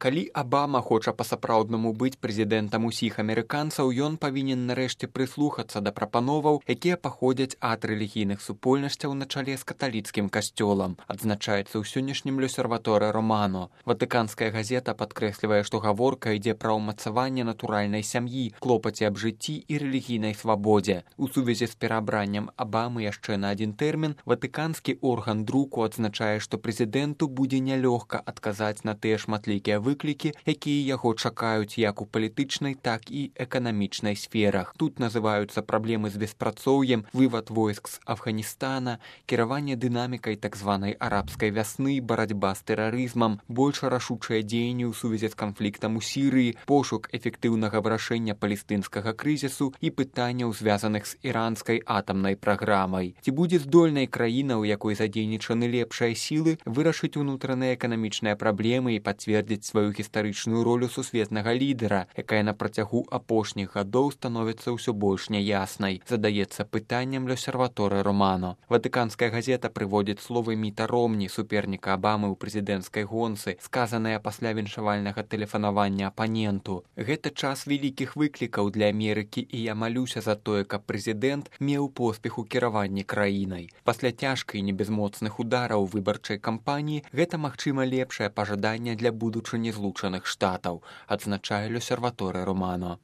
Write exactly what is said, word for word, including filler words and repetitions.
Калі Абама хоча па-сапраўднаму быць прэзідэнтам усіх амерыканцаў, ён павінен нарэшце прыслухацца да прапановаў, якія паходзяць ад рэлігійных супольнасцяў на чале з каталіцкім касцёлам, адзначаецца ў сённяшнім L'Osservatore Romano. Ватыканская газета падкрэслівае, што гаворка ідзе пра ўмацаванне натуральнай сям'і, клопаце аб жыцці і рэлігійнай свабодзе. У сувязі з пераабраннем Абамы яшчэ на адзін тэрмін, ватыканскі орган друку адзначае, што прэзідэнту будзе нялёгка адказаць на тыя шматлікія выклікі, якія яго чакаюць як у палітычнай, так і эканамічнай сферах. Тут называюцца праблемы з беспрацоўем, вывад войск з Афганістана, кіраванне дынамікай так званай арабскай вясны, барацьба з тэрарызмам, больш рашучыя дзеянні ў сувязі з канфліктам у Сірыі, пошук эфектыўнага вырашэння палестынскага крызісу і пытанняў, звязаных з іранскай атамнай праграмай. Ці будзе здольнай краіна, у якой задзейнічаны лепшыя сілы, вырашыць унутраныя эканамічныя праблемы і пацвердзіць сваю гістарычную ролю сусветнага лідара, якая на працягу апошніх гадоў становіцца ўсё больш няяснай, задаецца пытаннем L'Osservatore Romano. Ватыканская газета прыводзіць словы Міта Ромні, суперніка Абамы ў прэзідэнцкай гонцы, сказаныя пасля віншавальнага тэлефанавання апаненту. Гэта час вялікіх выклікаў для Амерыкі, і я малюся за тое, каб прэзідэнт меў поспех у кіраванні краінай. Пасля цяжкай і небезмоцных удараў выбарчай кампаніі гэта, магчыма, лепшае пажаданне для будучыні Злучаных Штатаў, адзначае L'Osservatore Romano.